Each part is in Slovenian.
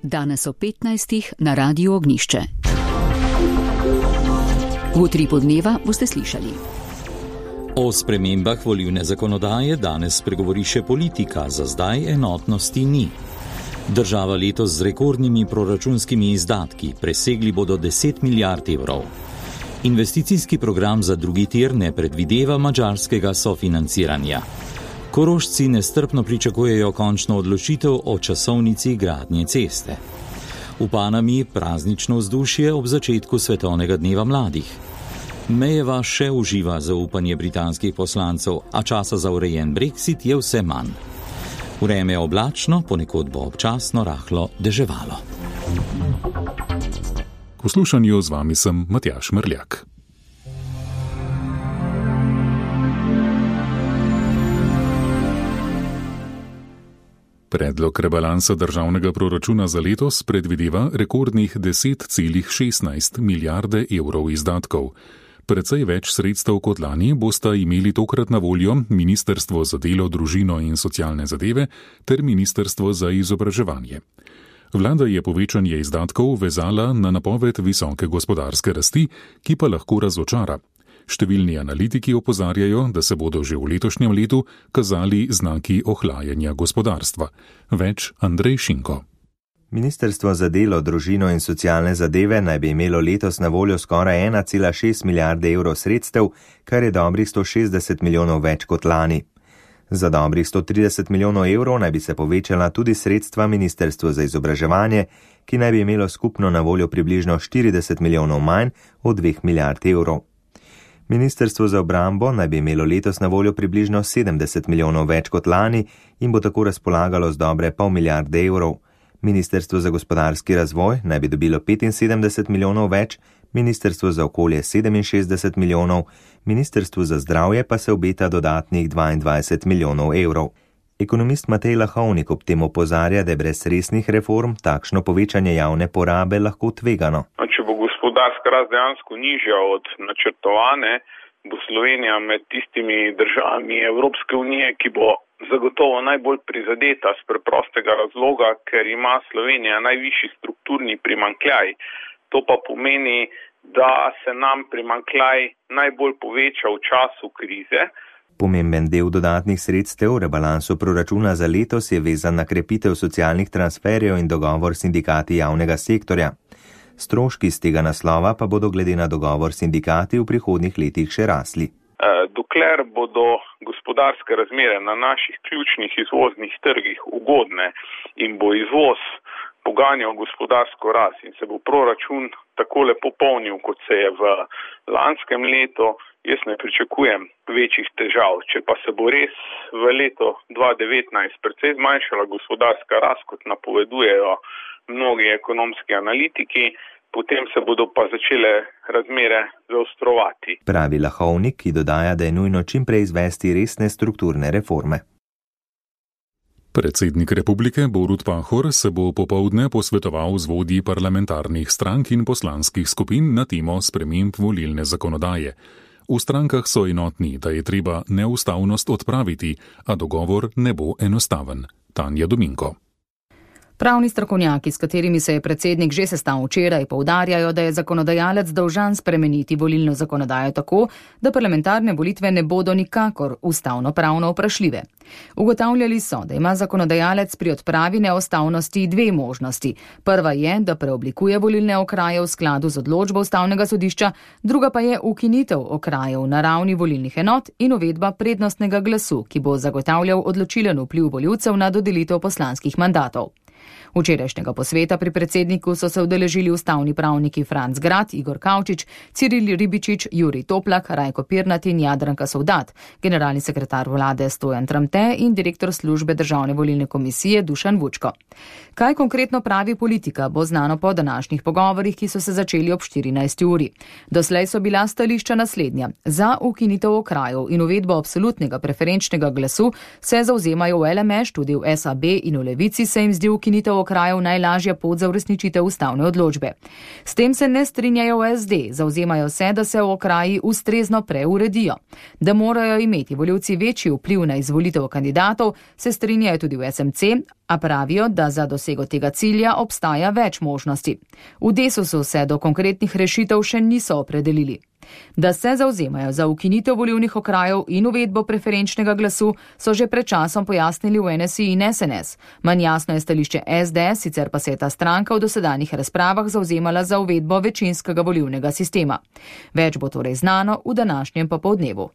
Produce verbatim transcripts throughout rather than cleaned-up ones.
Danes o petnajstih na Radiu Ognjišče. V utripu dneva boste slišali. O spremembah volilne zakonodaje danes spregovori še politika, za zdaj enotnosti ni. Država letos z rekordnimi proračunskimi izdatki, presegli bodo deset milijard evrov. Investicijski program za drugi tir ne predvideva madžarskega sofinanciranja. Korošci nestrpno pričakujejo končno odločitev o časovnici gradnje ceste. V Panami praznično vzdušje ob začetku Svetovnega dneva mladih. Mejeva še uživa zaupanje britanskih poslancev, a časa za urejen Brexit je vse manj. Vreme je oblačno, ponekod bo občasno rahlo deževalo. V poslušanju z vami sem Matjaž Mrljak. Predlog rebalansa državnega proračuna za letos predvideva rekordnih deset celih šestnajst milijarde evrov izdatkov. Precej več sredstev kot lani bosta imeli tokrat na voljo Ministrstvo za delo, družino in socialne zadeve ter Ministrstvo za izobraževanje. Vlada je povečanje izdatkov vezala na napoved visoke gospodarske rasti, ki pa lahko razočara. Številni analitiki opozarjajo, da se bodo že v letošnjem letu kazali znaki ohlajanja gospodarstva. Več Andrej Šinko. Ministrstvo za delo, družino in socialne zadeve naj bi imelo letos na voljo skoraj ena cela šest milijarde evrov sredstev, kar je dobrih sto šestdeset milijonov več kot lani. Za dobrih sto trideset milijonov evrov naj bi se povečala tudi sredstva Ministrstva za izobraževanje, ki naj bi imelo skupno na voljo približno štirideset milijonov manj od dveh milijard evrov. Ministrstvo za obrambo naj bi imelo letos na voljo približno sedemdeset milijonov več kot lani in bo tako razpolagalo z dobre pol milijarde evrov. Ministrstvo za gospodarski razvoj naj bi dobilo petinsedemdeset milijonov več, Ministrstvo za okolje sedeminšestdeset milijonov, Ministrstvu za zdravje pa se obeta dodatnih dvaindvajset milijonov evrov. Ekonomist Matej Lahovnik ob tem opozarja, da je brez resnih reform takšno povečanje javne porabe lahko tvegano. Če bo gospodarska rast dejansko nižja od načrtovane, bo Slovenija med tistimi državami Evropske unije, ki bo zagotovo najbolj prizadeta z preprostega razloga, ker ima Slovenija najvišji strukturni primanjkljaj. To pa pomeni, da se nam primanjkljaj najbolj poveča v času krize. Pomemben del dodatnih sredstev v rebalansu proračuna za letos je vezan na krepitev socialnih transferjev in dogovor s sindikati javnega sektorja. Stroški z tega naslova pa bodo glede na dogovor s sindikati v prihodnjih letih še rasli. Dokler bodo gospodarske razmere na naših ključnih izvoznih trgih ugodne in bo izvoz poganjal gospodarsko rast in se bo proračun tako lepo polnil, kot se je v lanskem letu, jaz ne pričakujem večjih težav. Če pa se bo res v letu dva tisoč devetnajst precej zmanjšala gospodarska rast, kot napovedujejo mnogi ekonomski analitiki, potem se bodo pa začele razmere zaostrovati. Pravi Lahovnik, ki dodaja, da je nujno čim prej izvesti resne strukturne reforme. Predsednik republike Borut Pahor se bo popoldne posvetoval z vodji parlamentarnih strank in poslanskih skupin na temo sprememb volilne zakonodaje. V strankah so enotni, da je treba neustavnost odpraviti, a dogovor ne bo enostaven. Tanja Dominko. Pravni strokovnjaki, s katerimi se je predsednik že sestal včeraj, poudarjajo, da je zakonodajalec dolžan spremeniti volilno zakonodajo tako, da parlamentarne volitve ne bodo nikakor ustavno-pravno vprašljive. Ugotavljali so, da ima zakonodajalec pri odpravi neustavnosti dve možnosti. Prva je, da preoblikuje volilne okraje v skladu z odločbo ustavnega sodišča, druga pa je ukinitev okrajev na ravni volilnih enot in uvedba prednostnega glasu, ki bo zagotavljal odločilen vpliv volivcev na dodelitev poslanskih mandatov. Včerajšnjega posveta pri predsedniku so se udeležili ustavni pravniki Franc Grad, Igor Kavčič, Ciril Ribičič, Jurij Toplak, Rajko Pirnat in Jadranka Sovdat, generalni sekretar vlade Stojan Tramte in direktor službe Državne volilne komisije Dušan Vučko. Kaj konkretno pravi politika, bo znano po današnjih pogovorih, ki so se začeli ob štirinajsti uri. Doslej so bila stališča naslednja. Za ukinitev okrajev in uvedbo absolutnega preferenčnega glasu se zauzemajo v L M Š, tudi v S A B in v Levici se jim zdi ukinitev volitev okrajev najlažja pot za uresničitev ustavne odločbe. S tem se ne strinjajo v S D, zavzemajo se, da se v okraji ustrezno preuredijo. Da morajo imeti volivci večji vpliv na izvolitev kandidatov, se strinjajo tudi v S M C, a pravijo, da za dosego tega cilja obstaja več možnosti. V Desusu se do konkretnih rešitev še niso opredelili. Da se zavzemajo za ukinitev volilnih okrajev in uvedbo preferenčnega glasu, so že pred časom pojasnili v N S I in S N S. Manj jasno je stališče S D, sicer pa se je ta stranka v dosedanjih razpravah zavzemala za uvedbo večinskega volilnega sistema. Več bo torej znano v današnjem popoldnevu.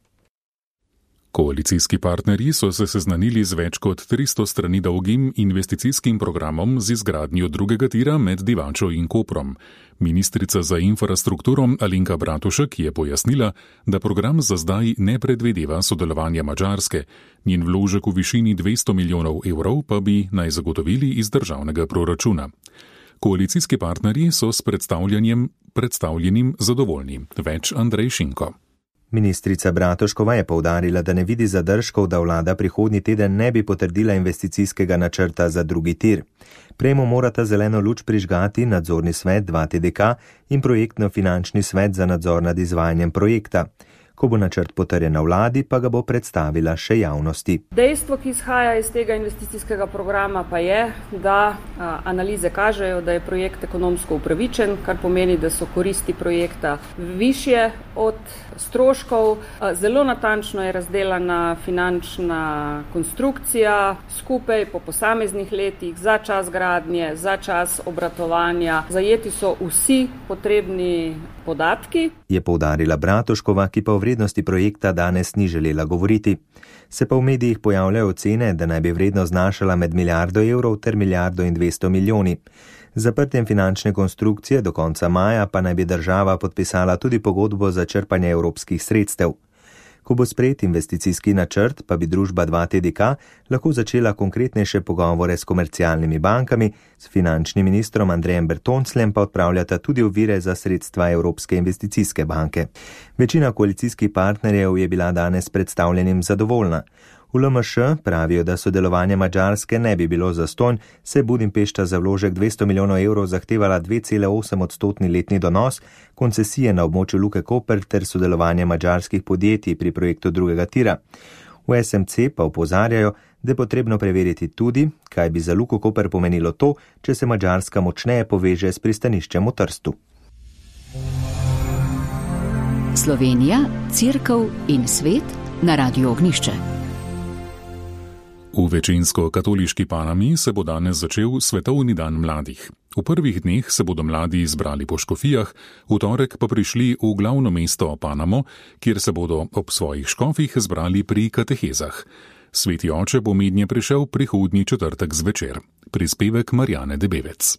Koalicijski partnerji so se seznanili z več kot tristo strani dolgim investicijskim programom z izgradnjo drugega tira med Divačo in Koprom. Ministrica za infrastrukturo Alenka Bratušek je pojasnila, da program za zdaj ne predvideva sodelovanja Madžarske. Njen vložek v višini dvesto milijonov evrov pa bi naj zagotovili iz državnega proračuna. Koalicijski partnerji so s predstavljanjem predstavljenim zadovoljni. Več Andrej Šinko. Ministrica Bratuškova je poudarila, da ne vidi zadržkov, da vlada prihodnji teden ne bi potrdila investicijskega načrta za drugi tir. Prejemu morata zeleno luč prižgati nadzorni svet dva T D K in projektno-finančni svet za nadzor nad izvajanjem projekta. Ko bo načrt potrjen na vladi, pa ga bo predstavila še javnosti. Dejstvo, ki izhaja iz tega investicijskega programa, pa je, da a, analize kažejo, da je projekt ekonomsko upravičen, kar pomeni, da so koristi projekta višje od stroškov. A, zelo natančno je razdelana finančna konstrukcija, skupaj po posameznih letih, za čas gradnje, za čas obratovanja. Zajeti so vsi potrebni podatki. Je poudarila Bratuškova, ki pa o vrednosti projekta danes ni želela govoriti. Se pa v medijih pojavljajo ocene, da naj bi vrednost znašala med milijardo evrov ter milijardo in dvesto milijoni. Z zaprtjem finančne konstrukcije do konca maja pa naj bi država podpisala tudi pogodbo za črpanje evropskih sredstev. Ko bo sprejet investicijski načrt, pa bi družba dva T D K lahko začela konkretnejše pogovore s komercialnimi bankami, s finančnim ministrom Andrejem Bertoncljem pa odpravljata tudi ovire za sredstva Evropske investicijske banke. Večina koalicijskih partnerjev je bila danes predstavljenim zadovoljna. V L M Š pravijo, da sodelovanje Madžarske ne bi bilo zastonj, se Budimpešta za vložek dvesto milijonov evrov zahtevala dve cele osem odstotni letni donos, koncesije na območju Luke Koper ter sodelovanje madžarskih podjetij pri projektu drugega tira. V S M C pa opozarjajo, da je potrebno preveriti tudi, kaj bi za Luko Koper pomenilo to, če se Madžarska močneje poveže s pristaniščem v Trstu. Slovenija, Cerkev in svet na Radiu Ognjišče. V večinsko katoliški Panami se bo danes začel Svetovni dan mladih. V prvih dneh se bodo mladi zbrali po škofijah, v torek pa prišli v glavno mesto Panamo, kjer se bodo ob svojih škofih zbrali pri katehezah. Sveti oče bo mednje prišel prihodnji četrtek zvečer. Prispevek Marjane Debevec.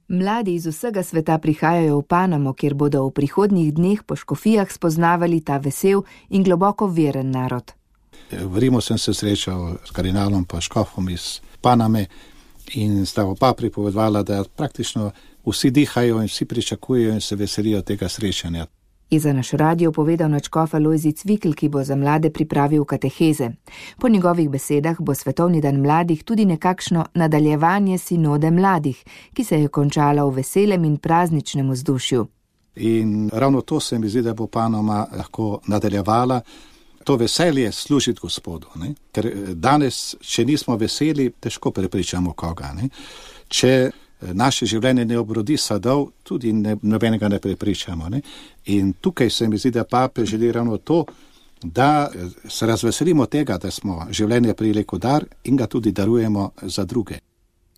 Mladi iz vsega sveta prihajajo v Panamo, kjer bodo v prihodnjih dneh po škofijah spoznavali ta vesel in globoko veren narod. V Rimu sem se srečal s kardinalom pa škofom iz Paname in sta oba pripovedovala, da praktično vsi dihajo in vsi pričakujejo in se veselijo tega srečanja. Je za naš radio povedal nadškof Alojzij Cvikl, ki bo za mlade pripravil kateheze. Po njegovih besedah bo Svetovni dan mladih tudi nekakšno nadaljevanje sinode mladih, ki se je končala v veselem in prazničnem vzdušju. In ravno to se mi zdi, da bo Panama lahko nadaljevala. To veselje služiti Gospodu, ne? Ker danes, če nismo veseli, težko prepričamo koga. Ne? Če naše življenje ne obrodi sadov, tudi ne, nobenega ne prepričamo. Ne? In tukaj se mi zdi, da papež želi ravno to, da se razveselimo tega, da smo življenje prijeli kot dar in ga tudi darujemo za druge.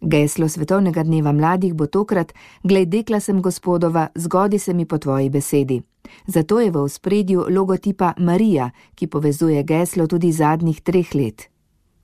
Geslo Svetovnega dneva mladih bo tokrat: Glej, dekla sem Gospodova, zgodi se mi po tvoji besedi. Zato je v ospredju logotipa Marija, ki povezuje geslo tudi zadnjih treh let.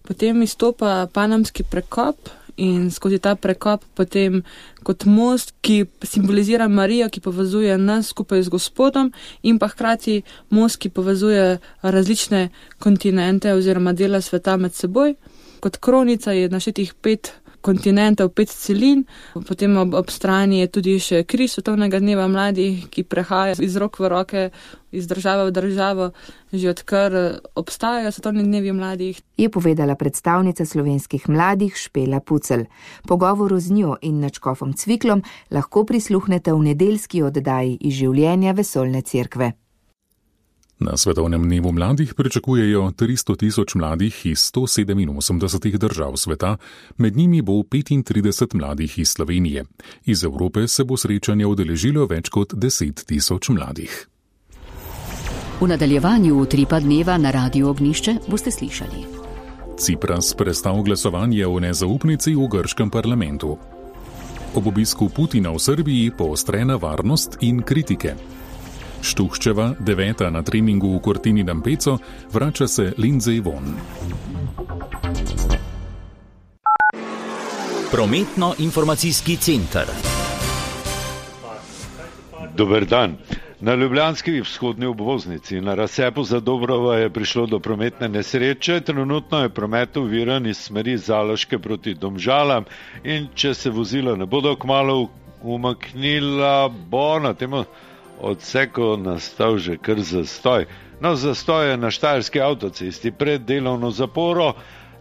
Potem izstopa panamski prekop in skozi ta prekop potem kot most, ki simbolizira Marijo, ki povezuje nas skupaj z Gospodom, in pa hkrati most, ki povezuje različne kontinente oziroma dela sveta med seboj. Kot kronica je naštetih pet kontinentov, pet celin, potem ob, ob strani je tudi še križ svetovnega dneva mladih, ki prehaja iz rok v roke, iz države v državo, že odkar obstajajo svetovni dnevi mladih. Je povedala predstavnica slovenskih mladih Špela Pucelj. Pogovoru z njo in nadškofom Cviklom lahko prisluhnete v nedeljski oddaji iz življenja Vesoljne cerkve. Na svetovnem dnevu mladih pričakujejo tristo tisoč mladih iz sto sedeminosemdeset držav sveta, med njimi bo petintrideset mladih iz Slovenije. Iz Evrope se bo srečanje udeležilo več kot deset tisoč mladih. V nadaljevanju utripa dneva na Radiu Ognjišče boste slišali. Cipras prestal glasovanje o nezaupnici v grškem parlamentu. Ob obisku Putina v Srbiji poostrena varnost in kritike. Štuhčeva, deveta na treningu v Cortini d'Ampezzo, vrača se Lindsay Vonn. Prometno-informacijski center. Dober dan. Na ljubljanski vzhodni obvoznici na razcepu za Dobrovo je prišlo do prometne nesreče. Trenutno je promet oviran iz smeri Zaloške proti Domžalam in če se vozila ne bodo kmalu umaknila, bo na temu odseku nastal že kar zastoj. No, zastoj je na štajerski avtocesti pred delovno zaporo.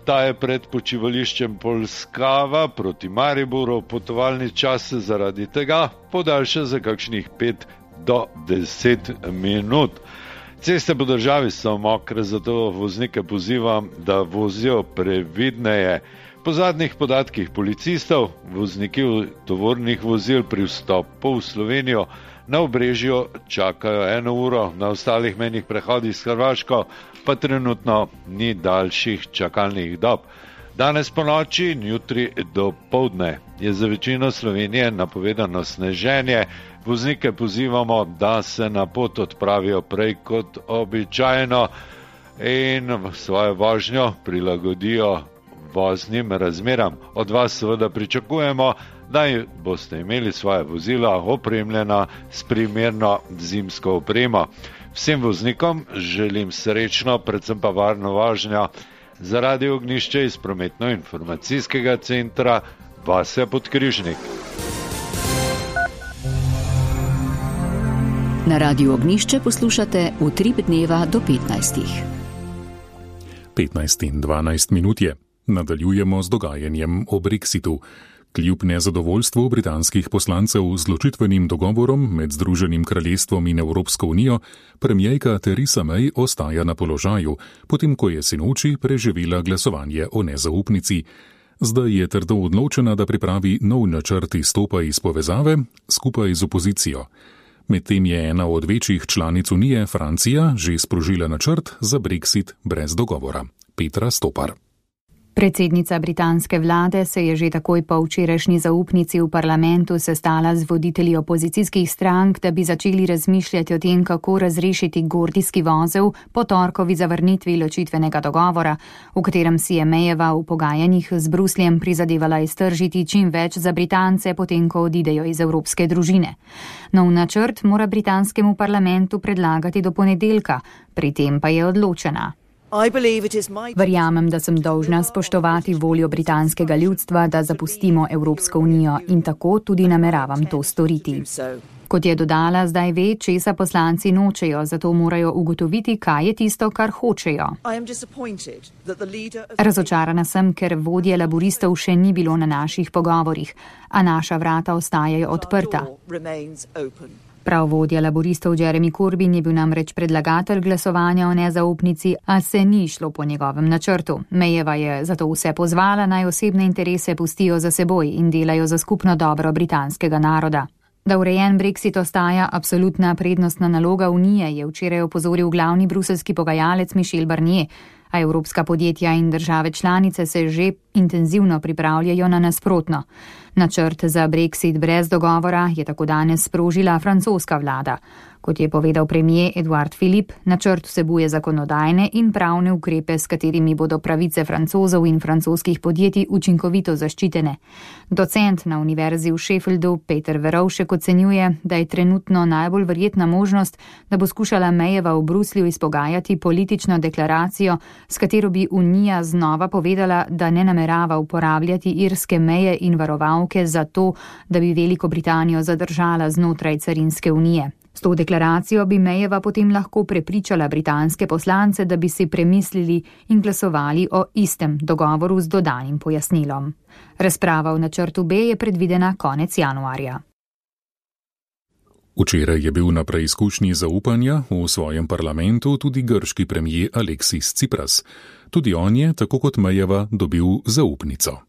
Ta je pred počivališčem Polskava proti Mariboru. Potovalni čas se zaradi tega podaljša za kakšnih pet do deset minut. Ceste po državi so mokre, zato voznike pozivam, da vozijo previdneje. Po zadnjih podatkih policistov, vozniki tovornih vozil pri vstopu v Slovenijo na Obrežju čakajo eno uro, na ostalih mejnih prehodih s Hrvaško pa trenutno ni daljših čakalnih dob. Danes po noči in jutri do poldne je za večino Slovenije napovedano sneženje. Voznike pozivamo, da se na pot odpravijo prej kot običajno in svojo vožnjo prilagodijo voznim razmeram. Od vas seveda pričakujemo, da boste imeli svoje vozila opremljena s primerno zimsko opremo. Vsem voznikom želim srečno, predvsem pa varno vožnjo. Za Radio Ognjišče iz prometno-informacijskega centra Vasja Podkrižnik. Na Radiu Ognjišče poslušate Utrip dneva do petnajstih. petnajst in dvanajst minut je. Nadaljujemo z dogajanjem o Brexitu. Kljub nezadovoljstvu britanskih poslancev z ločitvenim dogovorom med Združenim kraljestvom in Evropsko unijo, premierka Theresa May ostaja na položaju, potem ko je sinoči preživela glasovanje o nezaupnici. Zdaj je trdo odločena, da pripravi nov načrt izstopa iz povezave skupaj z opozicijo. Medtem je ena od večjih članic unije, Francija, že sprožila načrt za Brexit brez dogovora. Petra Stopar. Predsednica britanske vlade se je že takoj po včerajšnji zaupnici v parlamentu sestala z voditelji opozicijskih strank, da bi začeli razmišljati o tem, kako razrešiti gordijski vozel po torkovi zavrnitvi ločitvenega dogovora, v katerem si je Mayjeva v pogajanjih z Brusljem prizadevala iztržiti čim več za Britance, potem ko odidejo iz evropske družine. Nov načrt mora britanskemu parlamentu predlagati do ponedeljka, pri tem pa je odločena. Verjamem, da sem dolžna spoštovati voljo britanskega ljudstva, da zapustimo Evropsko unijo in tako tudi nameravam to storiti. Kot je dodala, zdaj ve, česa poslanci nočejo, zato morajo ugotoviti, kaj je tisto, kar hočejo. Razočarana sem, ker vodje laboristov še ni bilo na naših pogovorih, a naša vrata ostajajo odprta. Prav vodja laboristov Jeremy Corbyn je bil namreč predlagatelj glasovanja o nezaupnici, a se ni šlo po njegovem načrtu. Mayjeva je zato vse pozvala, naj osebne interese pustijo za seboj in delajo za skupno dobro britanskega naroda. Da urejen Brexit ostaja absolutna prednostna naloga Unije, je včeraj opozoril glavni bruselski pogajalec Michel Barnier, a evropska podjetja in države članice se že intenzivno pripravljajo na nasprotno. Načrt za Brexit brez dogovora je tako danes sprožila francoska vlada. Kot je povedal premier Edouard Philippe, načrt vsebuje zakonodajne in pravne ukrepe, s katerimi bodo pravice Francozov in francoskih podjetij učinkovito zaščitene. Docent na univerzi v Sheffieldu Peter Verovšek ocenjuje, da je trenutno najbolj verjetna možnost, da bo skušala Mayjeva v Bruslju izpogajati politično deklaracijo, s katero bi Unija znova povedala, da ne namerava namerava uporabljati irske meje in varovalke za to, da bi Veliko Britanijo zadržala znotraj carinske unije. S to deklaracijo bi Mayeva potem lahko prepričala britanske poslance, da bi si premislili in glasovali o istem dogovoru z dodanim pojasnilom. Razprava v načrtu B je predvidena konec januarja. Včeraj je bil na preizkušnji zaupanja v svojem parlamentu tudi grški premijer Aleksis Tsipras. Tudi on je, tako kot Mayeva, dobil zaupnico.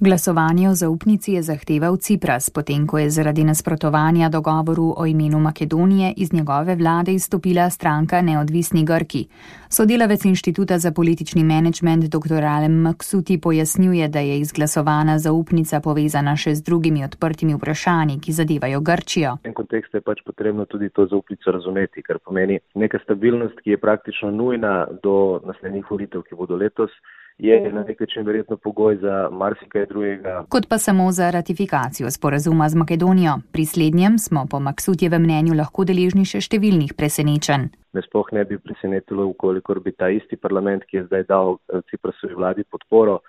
Glasovanje o zaupnici je zahteval Tsipras, potem ko je zaradi nasprotovanja dogovoru o imenu Makedonije iz njegove vlade izstopila stranka Neodvisni Grki. Sodelavec Inštituta za politični menedžment dr. Alem Maksuti pojasnjuje, da je izglasovana zaupnica povezana še z drugimi odprtimi vprašanji, ki zadevajo Grčijo. V tem kontekstu je pač potrebno tudi to zaupnico razumeti, kar pomeni neka stabilnost, ki je praktično nujna do naslednjih volitev, ki bodo letos. Je na nek način verjetno pogoj za marsikaj drugega. Kot pa samo za ratifikacijo sporazuma z Makedonijo. Pri slednjem smo po Maksutjevem mnenju lahko deležni še številnih presenečenj. Me sploh ne bi presenetilo, ukolikor bi ta isti parlament, ki je zdaj dal Ciprasovi vladi podporo,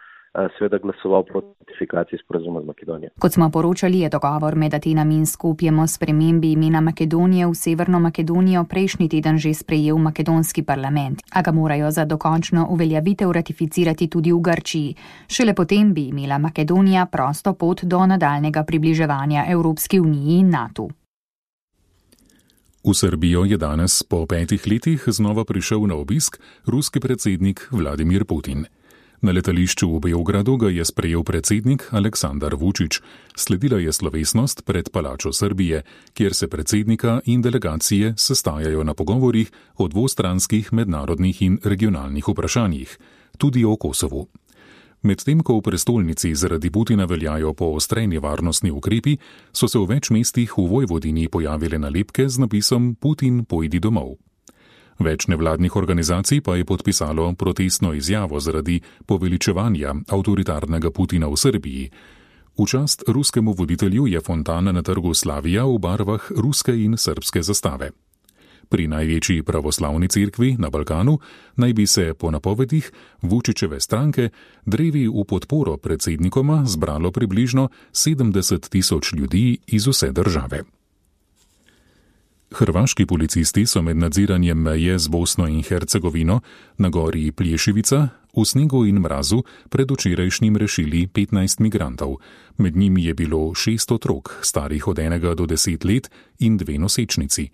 seveda glasoval proti ratifikaciji sporazuma z Makedonijo. Kot smo poročali, je dogovor med Atenami in Skopjem o spremembi imena Makedonije v Severno Makedonijo prejšnji teden že sprejel makedonski parlament, a ga morajo za dokončno uveljavitev ratificirati tudi v Grčiji. Šele potem bi imela Makedonija prosto pot do nadaljnega približevanja Evropski uniji in NATO. V Srbijo je danes po petih letih znova prišel na obisk ruski predsednik Vladimir Putin. Na letališču v Beogradu ga je sprejel predsednik Aleksandar Vučić. Sledila je slovesnost pred Palačo Srbije, kjer se predsednika in delegacije sestajajo na pogovorih o dvostranskih mednarodnih in regionalnih vprašanjih, tudi o Kosovu. Medtem ko v prestolnici zaradi Putina veljajo poostreni varnostni ukrepi, so se v več mestih v Vojvodini pojavile nalepke z napisom Putin pojdi domov. Več nevladnih organizacij pa je podpisalo protestno izjavo zaradi poveličevanja avtoritarnega Putina v Srbiji. V čast ruskemu voditelju je fontana na trgu Slavija v barvah ruske in srbske zastave. Pri največji pravoslavni cerkvi na Balkanu naj bi se po napovedih Vučićeve stranke drevi v podporo predsednikoma zbralo približno sedemdeset tisoč ljudi iz vse države. Hrvaški policisti so med nadziranjem meje z Bosno in Hercegovino na gori Plješevica v snegu in mrazu predvčerajšnjim rešili petnajst migrantov. Med njimi je bilo šest otrok, starih od enega do deset let in dve nosečnici.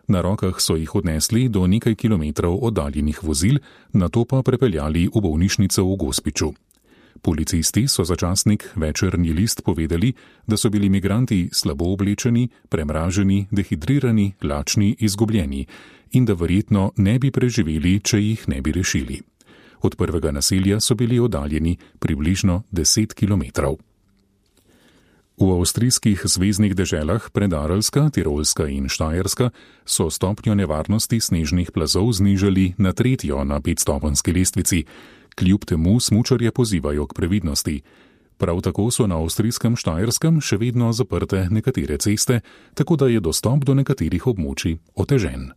Na rokah so jih odnesli do nekaj kilometrov oddaljenih vozil, nato pa prepeljali v bolnišnico v Gospiću. Policisti so za časnik Večernji list povedali, da so bili migranti slabo oblečeni, premraženi, dehidrirani, lačni, izgubljeni in da verjetno ne bi preživeli, če jih ne bi rešili. Od prvega naselja so bili oddaljeni približno deset kilometrov. V avstrijskih zveznih deželah Predarelska, Tirolska in Štajerska so stopnjo nevarnosti snežnih plazov znižali na tretjo na petstopenjski lestvici. Kljub temu smučarje pozivajo k previdnosti. Prav tako so na avstrijskem Štajerskem še vedno zaprte nekatere ceste, tako da je dostop do nekaterih območij otežen.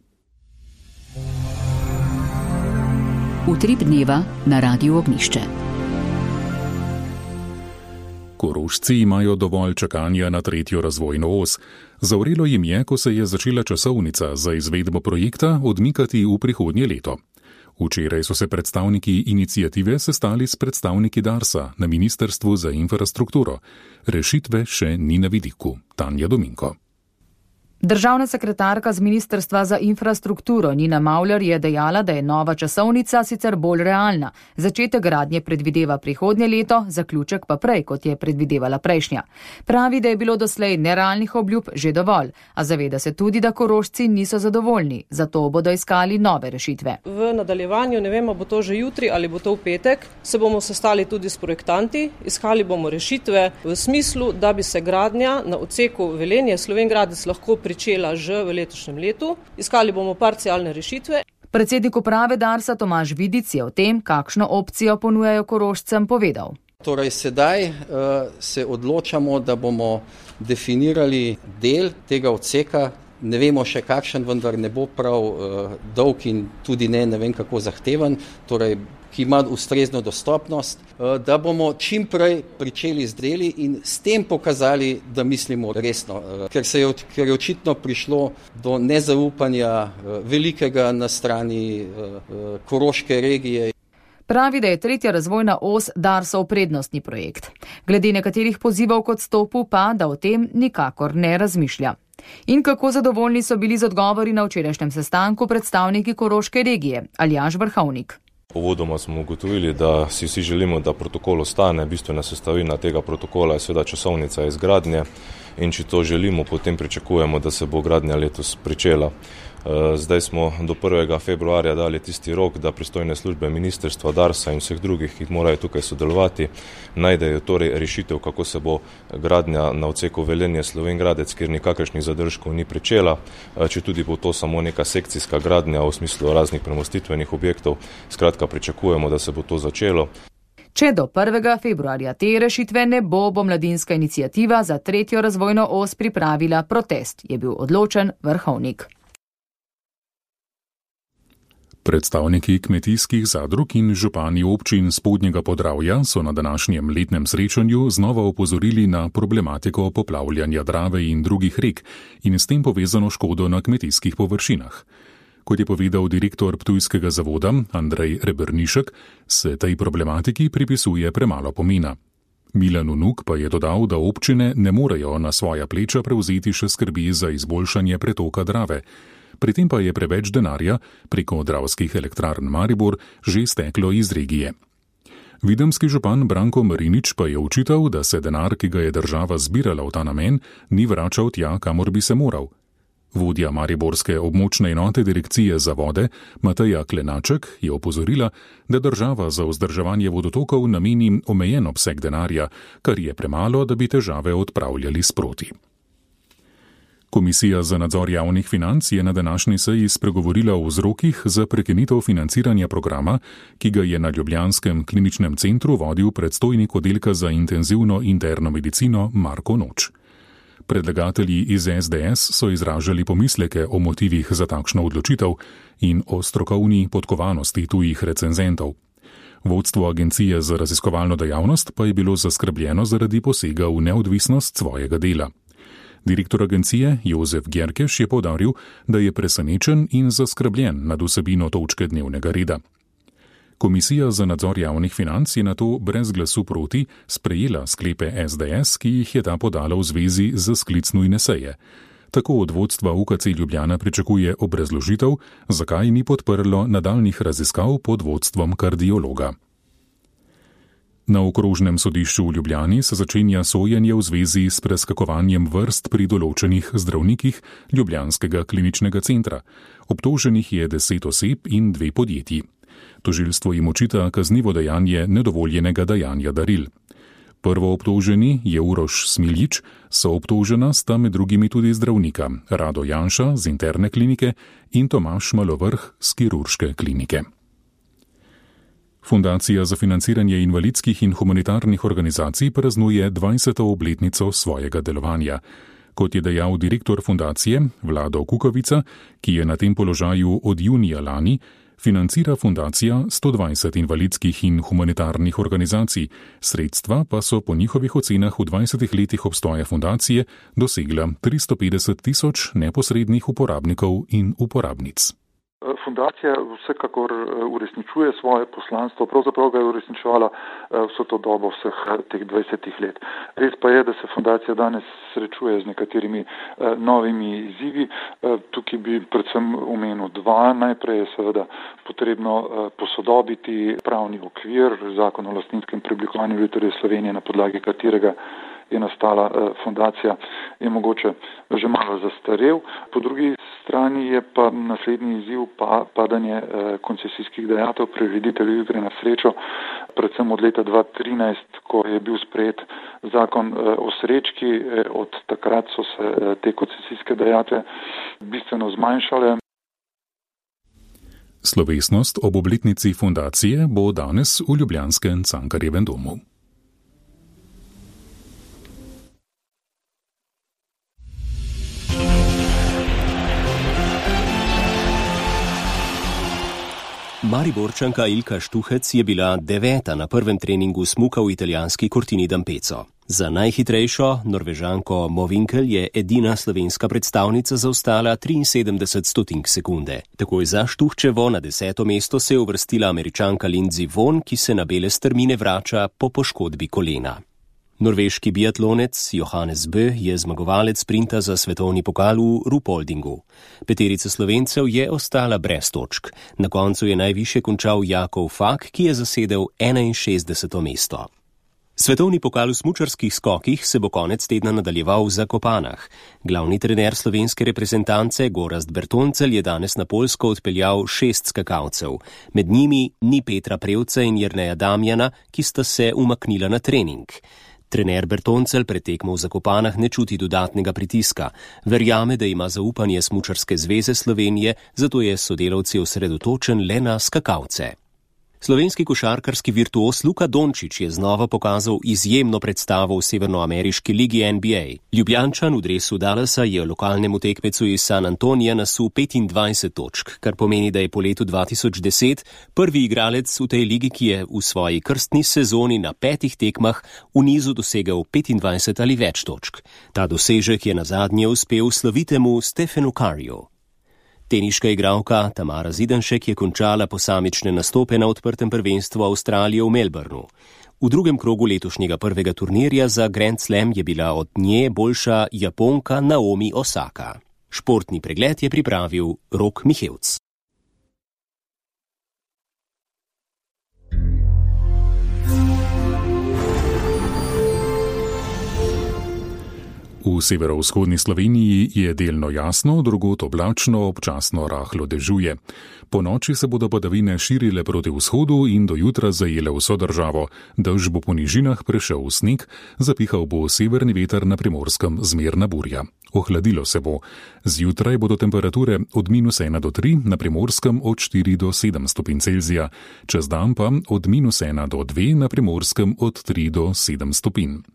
Utrip dneva na Radiu Ognjišče. Korošci imajo dovolj čakanja na tretjo razvojno os. Zavrelo jim je, ko se je začela časovnica za izvedbo projekta odmikati v prihodnje leto. Včeraj so se predstavniki iniciative sestali s predstavniki Darsa na Ministrstvu za infrastrukturo. Rešitve še ni na vidiku. Tanja Dominko. Državna sekretarka z Ministrstva za infrastrukturo Nina Mauler je dejala, da je nova časovnica sicer bolj realna. Začetek gradnje predvideva prihodnje leto, zaključek pa prej, kot je predvidevala prejšnja. Pravi, da je bilo doslej nerealnih obljub že dovolj, a zaveda se tudi, da Korošci niso zadovoljni, zato bodo iskali nove rešitve. V nadaljevanju, ne vemo, bo to že jutri ali bo to v petek, se bomo sestali tudi s projektanti, iskali bomo rešitve v smislu, da bi se gradnja na odseku Velenje Slovenj Gradec lahko pričela že v letošnjem letu. Iskali bomo parcialne rešitve. Predsednik uprave Darsa Tomaž Vidic je o tem, kakšno opcijo ponujajo Korošcem, povedal. Torej sedaj uh, se odločamo, da bomo definirali del tega odseka ne vemo še kakšen, vendar ne bo prav uh, dolg in tudi ne, ne vem kako zahteven, torej ki ima ustrezno dostopnost, uh, da bomo čim prej pričeli z deli in s tem pokazali, da mislimo resno, uh, ker se je, ker je očitno prišlo do nezaupanja uh, velikega na strani uh, uh, Koroške regije. Pravi, da je tretja razvojna os Darsov prednostni projekt. Glede nekaterih pozivov k odstopu pa, da o tem nikakor ne razmišlja. In kako zadovoljni so bili z odgovori na včerajšnjem sestanku predstavniki Koroške regije, Aljaž Vrhovnik. Uvodoma smo ugotovili, da si vsi želimo, da protokol ostane. Bistvena sestavina tega protokola je seveda časovnica izgradnje in če to želimo, potem pričakujemo, da se bo gradnja letos pričela. Zdaj smo do prvega februarja dali tisti rok, da pristojne službe ministrstva, Darsa in vseh drugih, ki morajo tukaj sodelovati, najdejo torej rešitev, kako se bo gradnja na odseku Velenje-Slovenj Gradec, kjer nikakršnih zadržkov ni pričela, če tudi bo to samo neka sekcijska gradnja v smislu raznih premostitvenih objektov. Skratka, pričakujemo, da se bo to začelo. Če do prvega februarja te rešitve ne bo, bo Mladinska iniciativa za tretjo razvojno os pripravila protest, je bil odločen Vrhovnik. Predstavniki kmetijskih zadrug in župani občin Spodnjega Podravja so na današnjem letnem srečanju znova opozorili na problematiko poplavljanja Drave in drugih rek in s tem povezano škodo na kmetijskih površinah. Kot je povedal direktor Ptujskega zavoda Andrej Rebernišek, se tej problematiki pripisuje premalo pomena. Milan Unuk pa je dodal, da občine ne morejo na svoja pleča prevzeti še skrbi za izboljšanje pretoka Drave. Pri tem pa je preveč denarja preko Dravskih elektrarn Maribor že steklo iz regije. Videmski župan Branko Marinič pa je očital, da se denar, ki ga je država zbirala v ta namen, ni vračal tja, kamor bi se moral. Vodja mariborske območne enote direkcije za vode Mateja Klenaček je opozorila, da država za vzdrževanje vodotokov nameni omejen obseg denarja, kar je premalo, da bi težave odpravljali sproti. Komisija za nadzor javnih financ je na današnji seji spregovorila o vzrokih za prekinitev financiranja programa, ki ga je na ljubljanskem kliničnem centru vodil predstojnik oddelka za intenzivno interno medicino Marko Noč. Predlagatelji iz es de es so izražali pomisleke o motivih za takšno odločitev in o strokovni podkovanosti tujih recenzentov. Vodstvo Agencije za raziskovalno dejavnost pa je bilo zaskrbljeno zaradi posega v neodvisnost svojega dela. Direktor agencije Jozef Gjerkeš je poudaril, da je presenečen in zaskrbljen nad vsebino točke dnevnega reda. Komisija za nadzor javnih financ je nato brez glasu proti sprejela sklepe es de es, ki jih je ta podala v zvezi z sklic nujne seje. Tako od vodstva U K C Ljubljana pričakuje obrazložitev, zakaj ni podprlo nadaljnih raziskav pod vodstvom kardiologa. Na okrožnem sodišču v Ljubljani se začenja sojenje v zvezi s preskakovanjem vrst pri določenih zdravnikih Ljubljanskega kliničnega centra. Obtoženih je deset oseb in dve podjetji. Tožilstvo jim očita kaznivo dejanje nedovoljenega dajanja daril. Prvo obtoženi je Uroš Smiljič, soobtožena sta med drugimi tudi zdravnika Rado Janša z interne klinike in Tomaž Malovrh z kirurške klinike. Fundacija za financiranje invalidskih in humanitarnih organizacij praznuje dvajseto obletnico svojega delovanja. Kot je dejal direktor fundacije Vlado Kukovica, ki je na tem položaju od junija lani, financira fundacija sto dvajset invalidskih in humanitarnih organizacij, sredstva pa so po njihovih ocenah v dvajsetih letih obstoja fundacije dosegla tristo petdeset tisoč neposrednih uporabnikov in uporabnic. Fundacija vsekakor uresničuje svoje poslanstvo, pravzaprav ga je uresničevala vso to dobo vseh teh dvajsetih let. Res pa je, da se fundacija danes srečuje z nekaterimi novimi izzivi. Tukaj bi predvsem omenil dva. Najprej je seveda potrebno posodobiti pravni okvir, zakon o lastninskem preoblikovanju Lutrije Slovenije, na podlagi katerega je nastala fundacija, je mogoče že malo zastarel. Po drugi strani je pa naslednji izziv pa padanje koncesijskih dajatev prirediteljev igre na srečo, predvsem od leta dva tisoč trinajst, ko je bil sprejet zakon o srečki. Od takrat so se te koncesijske dajatve bistveno zmanjšale. Slovesnost ob obletnici fundacije bo danes v ljubljanskem Cankarjevem domu. Mariborčanka Ilka Štuhec je bila deveta na prvem treningu smuka v italijanski Cortini d'Ampezzo. Za najhitrejšo Norvežanko Movinkel je edina slovenska predstavnica zaostala triinsedemdeset stotink sekunde. Takoj za Štuhčevo na deseto mesto se je uvrstila Američanka Lindsey Vonn, ki se na bele strmine vrača po poškodbi kolena. Norveški biatlonec Johannes Bö je zmagovalec sprinta za svetovni pokal v Ruhpoldingu. Peterica Slovencev je ostala brez točk. Na koncu je najvišje končal Jakov Fak, ki je zasedel enainšestdeseto mesto. Svetovni pokal v smučarskih skokih se bo konec tedna nadaljeval v Zakopanah. Glavni trener slovenske reprezentance Gorazd Bertoncelj je danes na Poljsko odpeljal šest skakalcev. Med njimi ni Petra Prevca in Jerneja Damjana, ki sta se umaknila na trening. Trener Bertoncelj pred tekmo v Zakopanah ne čuti dodatnega pritiska. Verjame, da ima zaupanje Smučarske zveze Slovenije, zato je s sodelavci osredotočen le na skakalce. Slovenski košarkarski virtuos Luka Dončić je znova pokazal izjemno predstavo v severnoameriški ligi N B A. Ljubljančan v dresu Dallasa je lokalnemu tekmecu iz San Antonija nasul petindvajset točk, kar pomeni, da je po letu dva tisoč deset prvi igralec v tej ligi, ki je v svoji krstni sezoni na petih tekmah v nizu dosegel petindvajset ali več točk. Ta dosežek je nazadnje uspel slovitemu Stephenu Curryju. Teniška igralka Tamara Zidanšek je končala posamične nastope na odprtem prvenstvu Avstralije v Melbourneu. V drugem krogu letošnjega prvega turnirja za Grand Slam je bila od nje boljša Japonka Naomi Osaka. Športni pregled je pripravil Rok Mihevc. V severovzhodni Sloveniji je delno jasno, drugod oblačno, občasno rahlo dežuje. Po noči se bodo padavine širile proti vzhodu in do jutra zajele vso državo. Dež bo po nižinah prešel v sneg, zapihal bo severni veter, na Primorskem zmerna burja. Ohladilo se bo. Zjutraj bodo temperature od minus ena do tri, na Primorskem od štiri do sedem stopinj Celzija. Čez dan pa od minus ena do dve, na Primorskem od tri do sedem stopinj.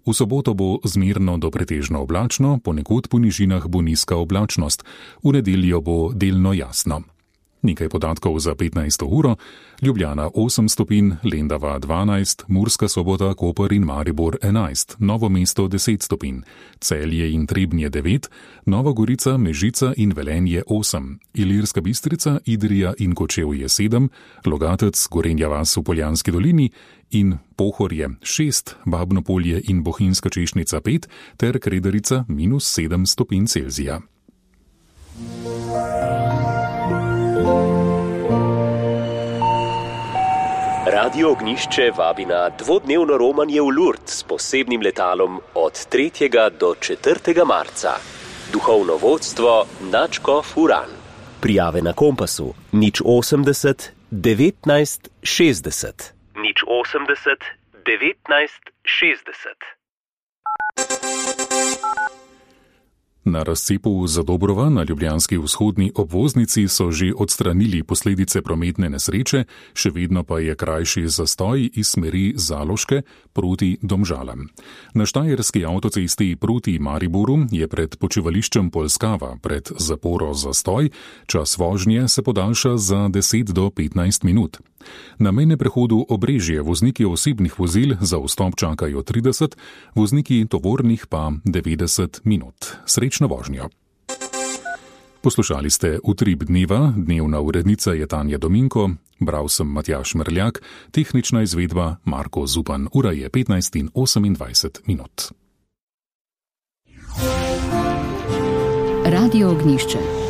V soboto bo zmerno do pretežno oblačno, ponekod po nižinah bo nizka oblačnost, v nedeljo bo delno jasno. Nekaj podatkov za petnajsto uro, Ljubljana osem stopinj, Lendava dvanajst, Murska Sobota, Koper in Maribor enajst, Novo mesto deset stopinj, Celje in Trebnje devet, Nova Gorica, Mežica in Velenje osem, Ilirska Bistrica, Idrija in Kočevje sedem, Logatec, Gorenja vas v Poljanski dolini in Pohorje šest, Babno Polje in Bohinjska Češnica pet ter Kredarica minus sedem stopinj Celzija. Radio Ognišče vabi na dvodnevno romanje v Lourdes s posebnim letalom od tretjega do četrtega marca. Duhovno vodstvo Nadškof Uran. Prijave na Kompasu nič osemdeset devetnajst šestdeset. nič osemdeset devetnajst šestdeset. Na razcepu Zadobrova na ljubljanski vzhodni obvoznici so že odstranili posledice prometne nesreče, še vedno pa je krajši zastoj iz smeri Zaloške proti Domžalam. Na štajerski avtocesti proti Mariboru je pred počivališčem Polskava pred zaporo zastoj, čas vožnje se podaljša za deset do petnajst minut. Na mejnem prehodu Obrežje vozniki osebnih vozil za vstop čakajo trideset, vozniki tovornih pa devetdeset minut. Srečno vožnjo. Poslušali ste Utrip dneva, dnevna urednica je Tanja Dominko, bral sem Matjaž Mrljak, tehnična izvedba Marko Zupan, ura je petnajst in osemindvajset minut. Radio Ognišče.